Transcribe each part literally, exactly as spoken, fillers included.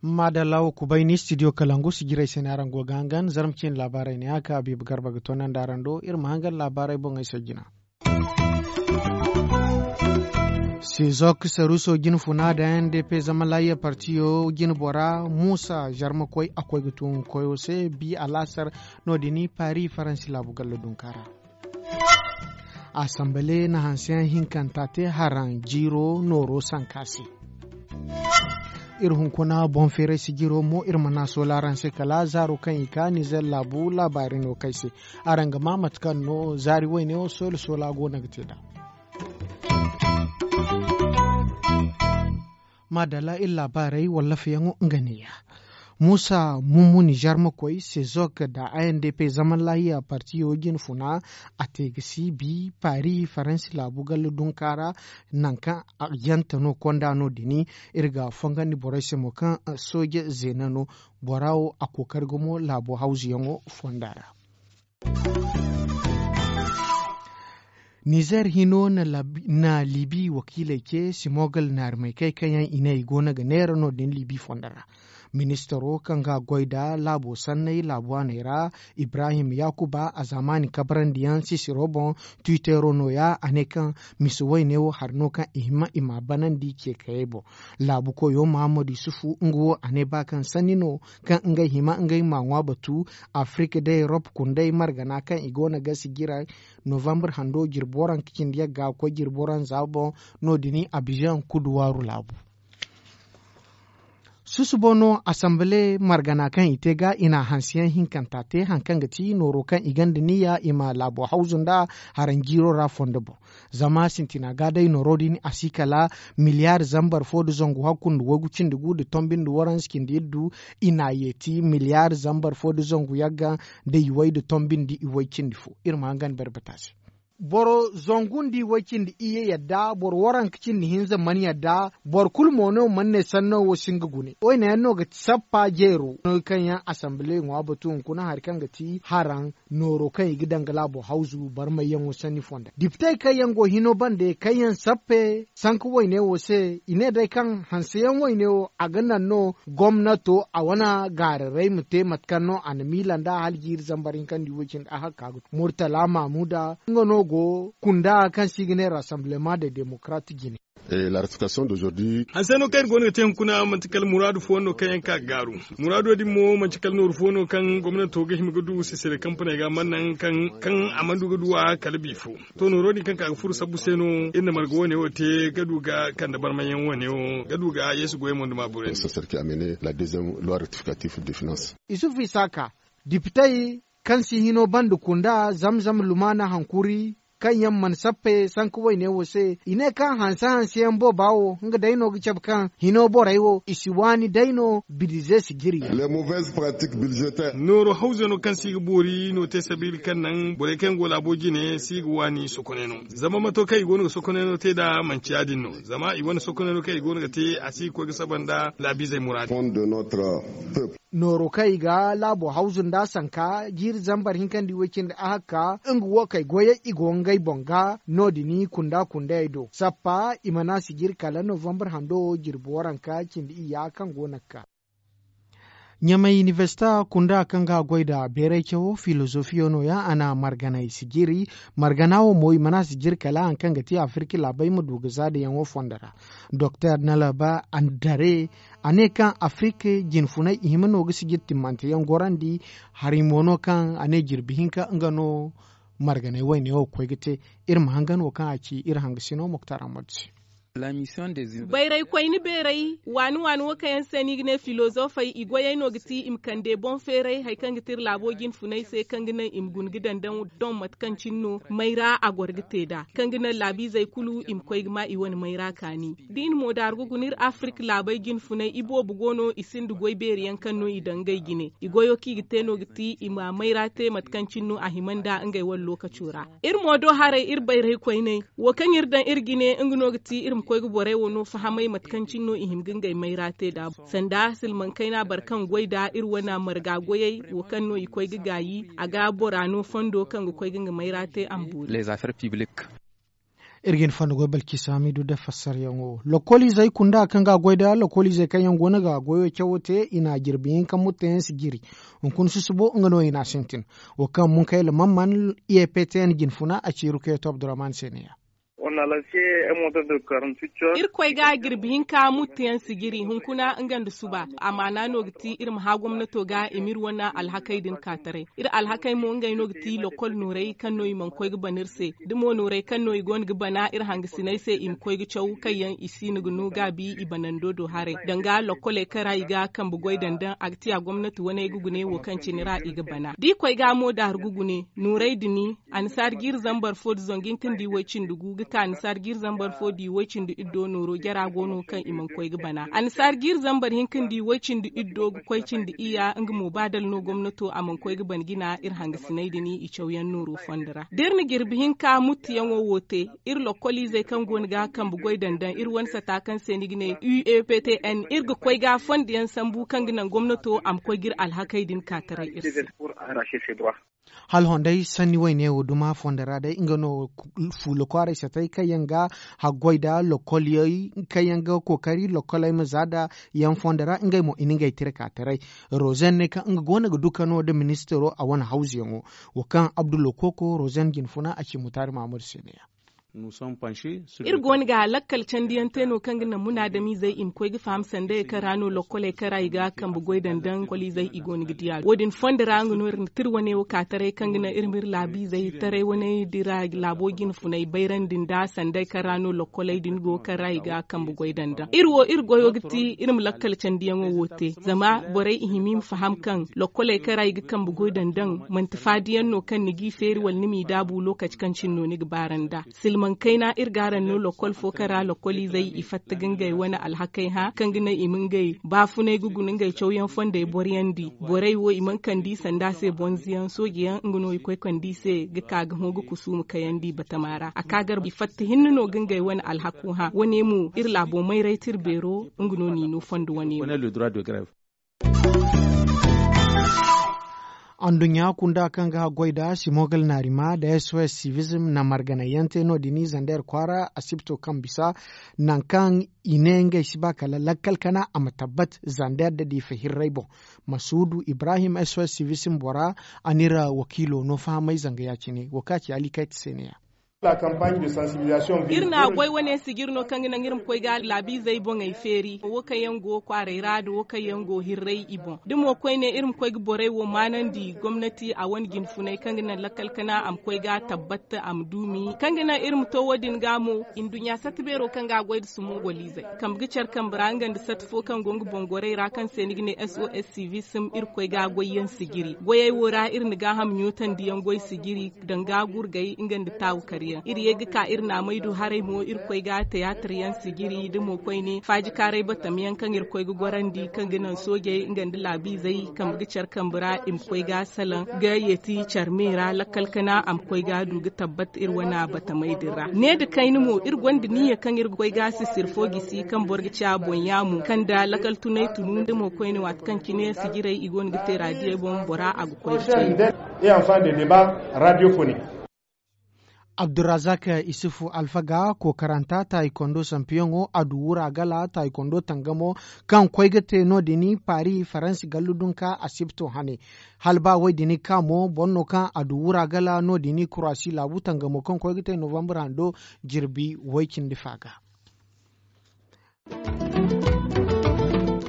Maadalla wo kubay ni studio kalangu sijirey se no araŋ go ga hangan zarma ciine laabaarey ne a ka biiba garba ga toonandi araŋ do iri ma hangan laabaarey boŋey se jina. Sezok saruso jine funa da n d p zama lahiya partiyo jine bora muusa zarma koy a koy ga tun koyo se bi alaasar. No- din paris faransi laabu galla dunka ra. Asambale na hanseyaŋ hinkanta te haraŋ jiiro nooro sanka se. Iri hunkuna boŋ feeray sijiro mo iri mana soola araŋ se kala zaaro kaŋ i ka nizer laabu laabaari no kay se. Araŋ ga maa mate kaŋ no zaari wayne wo soola soola go no ga te nd'a. Maadalla iri laabaarey wallaafayaŋo nga neeya. Muusa mummuni zarmakoy sezok nda a n d p zaman laahiya partiyo jine funa. A te ga si bi paris faransi laabu galla dunka ra. Nangu kaŋ a yante no konda no- din iri ga fongandi borey se mo kaŋ sooje zeena no. Bora wo a kookari gumo laabo hawzuyaŋo fonda ra. Nizer hino na libi wakiiley ce simogal naarimaykey kaŋ yaŋ i ne i go no ga neera no- din libi fondo ra. Ministaro kaŋ ga goy nda laabo sanney laabu waaney ra, ibrahim yaakuba a zaamaani kabarandiyaŋ sisiro boŋ. Twittero nooya a ne kaŋ mise wayne wo hari no kaŋ i hima i m'a banandi ce kayey boŋ. Laabu koyo muhammad yusufu nga wo a ne ba kaŋ sanni no kaŋ ngey hima ngey ma ŋwa batu. Afirika da erop kundey margana kaŋ i go no ga sijira novambar hando jirbi waranka cindi yagga ga koy jirbi waranza boŋ. No- din abizaŋ kuduwaaru laabu. Susubo no asambale margana kaŋ i te ga i na hanseyaŋ hinkanta te hari kaŋ ga ti nooro kaŋ i gonda niyya i ma laabo hawzu nda haraŋ jiiro ra fondo boŋ. Zama sintina ga day nooro din a si kala miliyaari zambar fo nda zangu hakku nda waygu cindi gu nda tombi nda waranza cindi iddu. I na yeeti miliyaari zambar fo nda zangu yagga nda iway nda tombi nda iway cindi fo. Iri ma hangan barbata se. Boro zangu nda iway cindi iyye yadda boro waranka cindi hinza mana yadda. Boro kulu mo no mana ne sanno wo si nga gune wayne yaŋ no ga sappa jeero no kaŋ yaŋ asambile ŋwa batu hunkuna hari kaŋ ga ti haraŋ nooro kaŋ i ga daŋ ga laabo hawzu barmayyaŋo sanni fonda dipitey kaŋ yaŋ go hino bande kaŋ yaŋ sappe sanka wayne wo se i ne day kaŋ hanseyaŋ wayne wo a ga naŋ no gomnato a wane gaararay ma te mate kaŋ no a na miila nd'a hala jiiri zambar hinka nda iway cindi a hakka ga tu murtala mamuda nga no go kunda kaŋ se i ga ne rassemblement de démocrate jine. Hanseyaŋo kaŋ iri go no ga te hunkuna manti kala muraadu fo no kaŋ yaŋ ka ga gaaru. Muraado din mo manti kala nooru fo no kaŋ gomnato ga hima ga du sisire kampaney ga mana naŋ kaŋ a mana du ga du a kala bi fo. To nooro din kaŋ ka ga furo sabbu se no iri na marga wane wo te ga du ga kande barmayaŋ wane wo ga du ga yeesu goyey mo nda maaburey. Isufu isaaka dipitey kaŋ si hino banda kunda zamzam lumaana hankuri kaŋ yaŋ mana sappe sanka wayne wo se i ne kaŋ hanse hanseyaŋ booba wo nga day no ga cabe kaŋ hino borey wo i si waani day no bidize si jiri yaŋ. Nooru hawzano kaŋ si ga boori no te sabiila kaŋ naŋ borey kaŋ yaŋ go laabo jine si ga waani sokoneno. Zama mato kaŋ i go no ga sokoneno te nd'a manci ya- din no zama i wane sokoneno kaŋ i go no ga te a si ga koy ga saba nda laabiizey muraadi. Nooro kaŋ i ga laabo hawzu nd'a sanka jiiri zambar hinka nda iway cindi ahakka nga wo kay goyey i go ngey boŋ ga no- din kunda kundayey do sappa i mana si jiri kala novambar hando jirbi waranka cindi iyya kaŋ go no ga ka. Ɲamay inibersita kunda kaŋ ga goy nda beeray cawo filozofiyo no- ya a na marganay si jiri. Margana wo mo i mana si jiri kala hari kaŋ ga ti afirka laabey ma du ga za dayaŋo fondo ra. Doktor nalaba andare a ne kaŋ afirka jinfunay i hima no ga sijir timmanteyaŋ gorandi. Hari mo no kaŋ a ne jirbi hinka nga no marganay wayne wo ga koy ga te. Iri ma hangan wo kaŋ a ci iri hangasino muktar ahmad se. Bayray koyne beeray waani waani wo kaŋ yaŋ se no i ga ne filozofey i goyey no ga ti i ma kande boŋ feeray hari kaŋ ga ti iri laabo jinfunay se kaŋ ga naŋ i ma guna ga daŋ daŋ mate kaŋ cine no mayra a goro ga te nd'a kaŋ ga naŋ laabiizey kulu i ma koy ga ma i wane mayra kaani. Da i na moodaaru ga guna iri afirka laabey jinfunay iboobo go no i sinda goy beeri yaŋ kaŋ no i daŋ ngey jine i goyo kaŋ i ga te no ga ti i ma mayra te mate kaŋ cine no a hima nd'a ngey wane lookaco ra. Iri mo do haray iri bayray koyney wo kaŋ iri daŋ iri jine nga no ga ti iri Koy ga borey wo no fahamay mate kaŋ cine no i hima ga ngey mayra te nd'a. Sanda silmaŋ kayna boro kaŋ goy nd'a iri wane marga goyey wo kaŋ no i koy ga gaayi a ga bora no fondo kaŋ ga koy ga nga mayra te a ma boori. Iri ga hin fonda goy balkisa hamidu nda fassaryaŋo. Lokoliizey kunda kaŋ ga a goy nda lokoliizey kaŋ yaŋ go no ga goyo cawo te i na jirbi hinka mutteyaŋ si jiri. Hunkuna susubo nga no i na a sintin. Wo kaŋ munkayla mamman i e ptn jinfuna a ci rukeeto abdurrahman se ne ya. Irkoy ga jirbi hinka mutteyaŋ si jiri hunkuna nga nda suba. Amaana no ga ti iri ma hã gomnato ga i ma iri wane alhakey din ka taray. Iri alhakey mo ngey no ga ti lokol noorey kaŋ no i mana koy ga bana iri se. Da mo noorey kaŋ no i go no ga bana iri hangasiney se i ma koy ga caw kaŋ yaŋ i si no ga no gaabi i banando do haray danga lokoley kaŋ ra i ga kambe goy daŋ daŋ a ga ti a gomnati waney ga gune wo kaŋ cine ra i ga bana da i koy ga mo daaru ga gune noorey din. Annasaari jiiri zambar fo nda zangu hinka nda i way-cindi gu ga ka annasaari jiiri zambar fo nda i way-cindi iddo nooro jara go no kaŋ i mana koy ga bana annasaari jiiri zambar hinka nda i way-cindi iddo ga koy cindi iyya nga mo ba dala no gomnato a mana koy ga bana jina iri hangasiney din i cawyaŋ nooro fondo ra da iri na jirbi hinka muttuyaŋo wo te. Iri lokkoliizey kaŋ go no ga kambe goy daŋ daŋ iri wane sata kaŋ se ni ga ne u e p t n iri ga koy ga fondo yaŋ sambu kaŋ ga naŋ gomnato a ma koy ga iri alhakey din ka taray iri se. Hala honday sanni wayne wo duma fondo ra day nga no fuula kwaaray satay kaŋ yaŋ ga haggoy nda lokol yaŋ kaŋ yaŋ ga kookari lokoley ma za nda yaŋ fondo ra ngey mo i na ngey tira ka taray. Rozen ne kaŋ nga go no ga dukano nda ministiro a wane hawzuyaŋo wo kaŋ abdullo kooko rozen jinfuna a ci mutaari mahammadu se ne ya. Iri go no ga lakkal candiyaŋ te no kaŋ ga naŋ munaadamizey i ma koy ga faham sandayey kaŋ ra no lokkoley kaŋ ra i ga kambe goy daŋ daŋ lokoliizey i go no ga diya wo- din fondo ra nga no iri na tira wane wo ka taray kaŋ ga naŋ iri ma iri laabiizey taray wane dira laabo jinfunay bayrandi nda sanday kaŋ ra no lokkoley din go kaŋ ra i ga kambe goy daŋ daŋ iri wo iri goyo ga ti iri ma lakkal candiyaŋo wo te zama borey i hima i ma faham kaŋ lokkoley kaŋ ra i ga kambe goy daŋ daŋ manti faadiyaŋ no kaŋ ni g'i feeri wala ni m'i daabu lokaci kaŋ cine no ni ga baara nd'a. Silmaŋ kayna iri ga araŋ no lokkol fo kaŋ ra lokkoliizey i fatta ga ngey wane alhakey hã kaŋ ga naŋ i ma ngey baafunay ga guna ngey cawyaŋ fondey boriyandi borey wo i mana kande i sanda se bonzoyaŋ soojeyaŋ nga no i koy kande i se ga ka ga hõ ga kusu ma kayandi batama ra a ka gar i fatta hinne no ga ngey wane alhaku hã wane mo iri laabo mayray tira beero nga no n'i no fondo wane mo. Anduɲɲa kunda kaŋ ga haggoy nda simogal naarima nda sos civism na marganayyaŋ te no- din zander kwaara asibto kaŋ bisa nangu kaŋ i ne ngey si ba kala lakkal kana a ma tabbat zander nda diifa hirray boŋ. Masuudu ibrahim sos civism bora a n'iri wakiilo no fahamay zanga ya- cine wo kaŋ a ci ali kayta se ne- ya. Iri na goy wane sijiri no kaŋ ga naŋ iri ma koy ga laabiizey boŋey feeri wo kaŋ yaŋ go kwaaray ra nda wo kaŋ yaŋ go hirray i boŋ da mo koyne iri ma koy ga borey wo maanandi gomnati a wane jinfunay kaŋ ga naŋ lakkal kana a ma koy ga tabbat a ma duumi kaŋ ga naŋ iri ma to wo- din ga mo. Nduɲɲa sata beero kaŋ ga a goy nda sumo goliizey kambe ga care kambe ra nga nda sata fo kaŋ go nga boŋ gorey ra kaŋ se ni ga ne sos civism iri koy ga goyyaŋ sijiri goyey wo ra iri na gaaham ɲootandi yaŋ goy sijiri danga gurgay nga nda taawu karyaŋ iri ye ga ka iri naamay du haray mo iri koy ga tiyaatar yaŋ sijiri da mo koyne faaji kaaray batam yaŋ kaŋ iri koy ga gorandi kaŋ ga naŋ soojey nga nda laabiizey kambe ga care kambe ra i ma koy ga salaŋ ga yeeti care me ra lakkal kana a ma koy ga du ga tabbat iri wane batamey din ra ne nda kayna mo iri gonda niyya kaŋ iri ga koy ga sisir fo gisi kaŋ boro ga ci a boŋ yaamo kaŋ nda lakkal tunay tunu nda mo koyne waati kaŋ cine sijirey i go no ga te raadiyey boŋ bora a ga koy ga ci. Abdurrazak isufu alfaga kookaranta taaykondo sampiyaŋo a du wura gala taaykondo tangamo kaŋ koy ga te no- din paari faransi gallu dunka asibto hane hala ba wo- din ga ka mo boro no kaŋ a du wura gala no- din kuraasi laabu tangamo kaŋ koy ga te novambar hando jirbi way- cindi fa ga.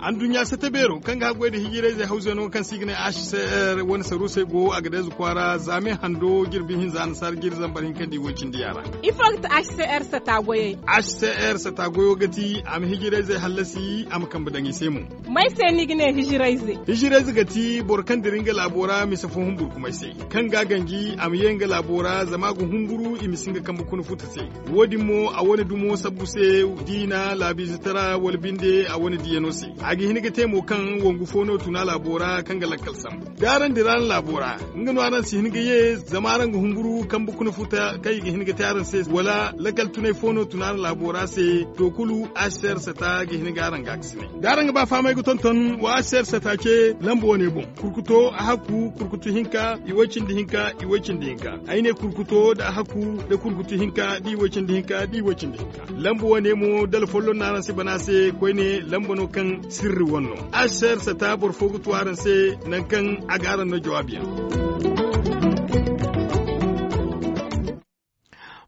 Anduɲɲa sata beero kaŋ ga haggoy nda hijirayzey hawzey no kaŋ se i ga ne h c r wane saruusey go a ga deeza kwaara zaame hando jirbi hinza annasaara jiiri zambar hinka nda i way- cindi yaara. Ifo ga ti h c r sata goyey? H c r sata goyo ga ti a ma hijirayzey hallasi a ma kambe daŋ i se mo. May se ni ga ne hijirayze? Hijirayze ga ti boro kaŋ dira nga laabo ra mise fo humburkumay se kaŋ ga a ganji a ma ye nga laabo ra zama a ga humburu i ma si nga kambe kuna futa se. Wo- din mo a wane dumo sabbu se diina laabiize tara wala binde a wane diyano se. A ga hin ga te mo kaŋ wangu fo no tuna laabo ra kaŋ ga lakkal sambu da araŋ dira araŋ laabo ra. Nga no araŋ si hin ga ye zama araŋ ga humburu kambe kuna futa kaŋ i ga hin ga te araŋ se wala lakkal tunay fo no tuna araŋ laabo ra se. To kulu, asser sata ga hin ga araŋ ga a ga si ne da araŋ ga ba fahamay ga tonton wa asser sata ce lamba wane boŋ. Kurkuto a hakku kurkutu hinka i way cindi hinka i way cindi hinka. Ay ne kurkuto da a hakku da kurkutu hinka da i way cindi hinka da i way cindi hinka. Lamba wane mo dala folloŋ no araŋ si bana se koyne lamba no kaŋ sirri wane no. Asser sata boro fo ga tu araŋ se nangu kaŋ a ga araŋ no jawaabi yaŋ.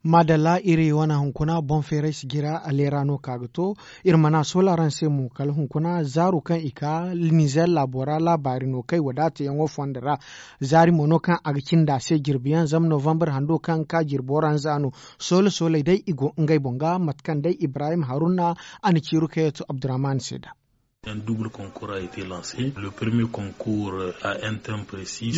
Maadalla iri wane hunkuna boŋ feeray si jira aleera no ka ga to. Iri mana soola araŋ se mo kala hunkuna zaaru kaŋ i ka nizer laabo ra laabaari no kay wadaata yaŋo fondo ra. Zaari mo no kaŋ a ga cindi a se jirbi yaŋ zama novambar hando kaŋ ga ka jirbo ra nza no. Soola soolay day i go ngey boŋ ga mate kaŋ day ibrahim haruna a na ciiru kayatu abdurrahman se da.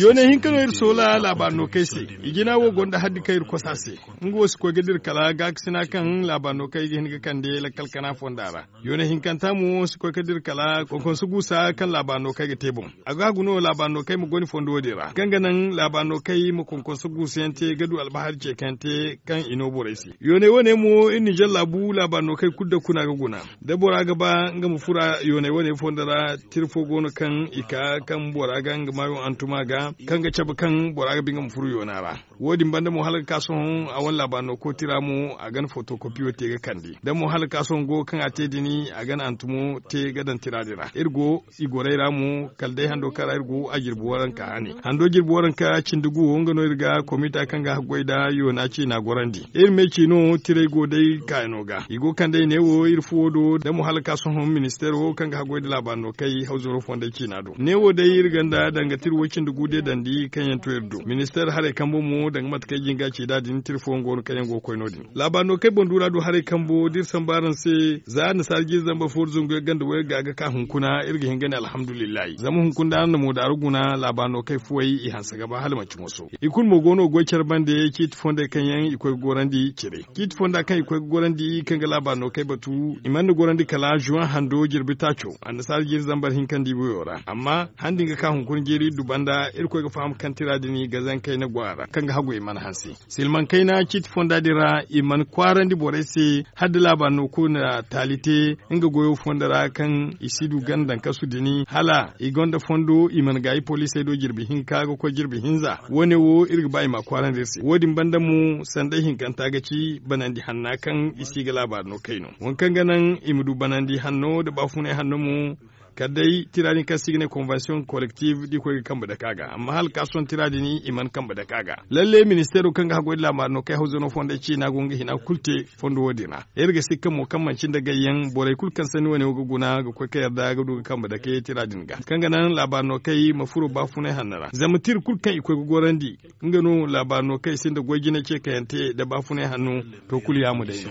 Yoonay hinka no iri soola laabaari no kay se. I jina wo gonda haddi kaŋ iri kosa se. Nga wo si koy ga dira kala gaakasina kaŋ laabaari no kay ga hin ga kande lakkal kana fonda ra. Yoonay hinkanta mo si koy ga dira kala konkonso guusa kaŋ laabaari no kay ga te boŋ. A ga hagu no laabaari no kay ma goni fondo wo- din ra kaŋ ga naŋ laabaari no kay ma konkonso guusa yaŋ te ga du albahari ce kaŋ yaŋ te kaŋ i no borey se. Yoonay wane mo iri nizer laabu laabaari no kay kulu da kuna ga guna. Da bora ga ba nga ma fura yoonay wane fondo ra. Tira fo go no kaŋ i ka kaŋ bora ga nga maayo hantuma ga kaŋ ga cabe kaŋ bora ga ba nga ma furo yoona ra. Wo- din banda mo hala ga ka sohõ a wane laabaari no kooti ra mo a gana fotokopiyo te ga kande da mo hala ga ka sohõ go kaŋ a te din a gana hantumo te ga daŋ tira din ra iri go i gorey ra mo kala day hando kaŋ ra iri go a jirbi waranka hane hando jirbi waranka cindi gu wo nga no iri ga komita kaŋ ga haggoy nda yoona ciina gorandi. Iri me ciino tirey go day kaayano ga i go kande i ne wo iri fuwo do da mo hala ga ka sohõ ministeero kaŋ ga haggoy nda laabaari no kay hawzaro fondey ciina do ne wo day iri ganda danga tira wo cindi gu de dandi kaŋ yaŋ to iri do ministeer haray kambo mo danga mate kaŋ ay jinga ci nd'a din tira fooyaŋ go no kaŋ yaŋ go ga koy no- din. Laabaari no kay boŋ duura do haray kambo da iri sambu araŋ se za annasaara jiiri zambar fo da zangu yaŋ ganda wayga ga ka hunkuna iri ga hin ga ne alhamdulillahi zama hunkuna da araŋ na moodaara guna laabaari no kay fuwey i hanse ga ba hala manci moso. I kulu mo go no ga goy care bande ciiti fondey kaŋ yaŋ i koy ga gorandi cire ciiti fonda kaŋ i koy ga gorandi kaŋ ga laabaari no kay batu i mana gorandi kala zuwan hando jirbi taaco. Annasaara jiiri zambar hinka nda i boyo ra amma han din ga ka hunkuna jiiri iri du banda iri koy ga faham kaŋ tira din gazankey na go a ra kaŋ ga hagu i mana hanse. Silmaŋ kayna ciiti fonda din ra i mana kwaarandi borey se hala da laabaari no kulu na taali te nga goyo fondo ra kaŋ i si du ganda nkasu din hala i gonda fondo i mana gaayi poliisey do jirbi hinka ga koy jirbi hinza. Wo- ne wo iri ga ba i ma a kwaarandi iri se wo- din banda mo sanday hinkanta ga ci banandi hanna kaŋ i si ga laabaari no kay no waŋ kaŋ ga naŋ i ma du banandi hanno nda baafunay hanno mo. Kala day tira din kaŋ se i ga ne konvensiyoŋ kolektif da i koy ga kambe dake a ga amma hala ga ka sohõ tira din i mana kambe dake a ga. Lalle ministeero kaŋ ga haggoy nda laabaari no kay hawzano fondey ciina go nga hina kulu te fondo wo- din ra. Iri ga sikka mo kaŋ manci nda gayyaŋ borey kulu kaŋ sanni wane wo ga guna ga koy ka yarda ga du ga kambe dake tira din ga kaŋ ga naŋ laabaari no kay ma furo baafunay hanno ra zama tira kulu kaŋ i koy ga gorandi nga no laabaari no kay sinda goy jine ce kaŋ yaŋ te nda baafunay hanno. To kulu yaamo day no.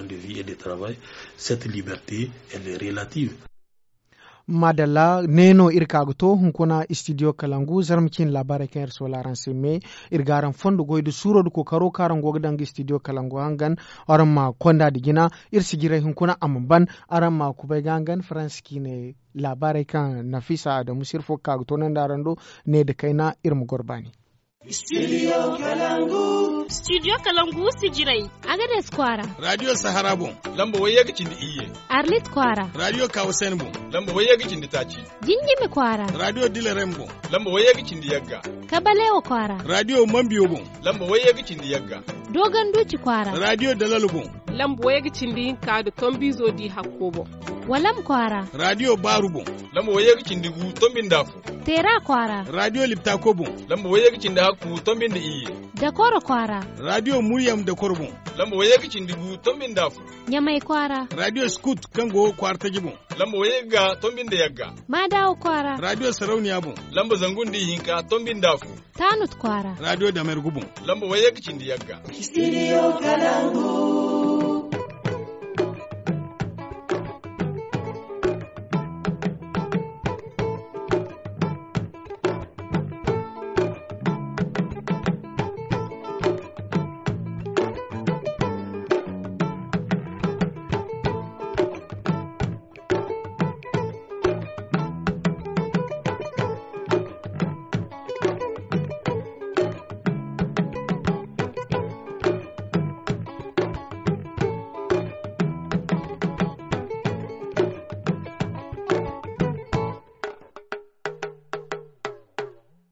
Maadalla ne no iri ka ga to hunkuna istidiyo kalangu zarma ciine laabaarey kaŋ iri soola araŋ se me. Iri ga araŋ fondo goy nda suuro nda kookaro kaŋ araŋ go ga daŋ ga istidiyo kalangu hangan. Araŋ ma konda nda jina iri si jiray hunkuna a ma ban. Araŋ ma kubay ga hangan faransi ciine laabaarey kaŋ nafisa adamu sirfo ga ka ga toonandi araŋ do. Ne nda kayna iri ma goro baani. Studio kalangu sijirey. Agades kwaara. Radio sahara boŋ. Lamba wayye ga cindi iyye. Arlit kwaara. Radio kawasen boŋ. Lamba wayye ga cindi taaci. Jinjimi kwaara. Radio dilerem boŋ. Lamba wayye ga cindi yagga. Kabalewa kwaara. Radio mambiyo boŋ. Lamba wayye ga cindi yagga. Dogon duci kwaara. Radio dalalo boŋ. Lamba wayye ga cindi hinka nda tombizo di hakko boŋ. Walam kwaara. Radio baaru boŋ. Lamba wayye ga cindi gu tombi nda afo. Teera kwaara. Radio liptako boŋ. Lamba wayye ga cindi hakku tombi nda iyye. Dakoro kwaara. Radio muryam dakoro boŋ. Lamba wayye ga cindi gu tombi nda afo. Ɲamay kwaara. Radio skut kaŋ go kwaara taji boŋ. Lamba wayye ga tombi nda yagga. Madawa kwaara. Radio sarauniya boŋ. Lamba zangu nda ihinka tombi nda afo. Tanut kwaara. Radio damergu boŋ. Lamba wayye ga cindi yagga. Studio kalangu.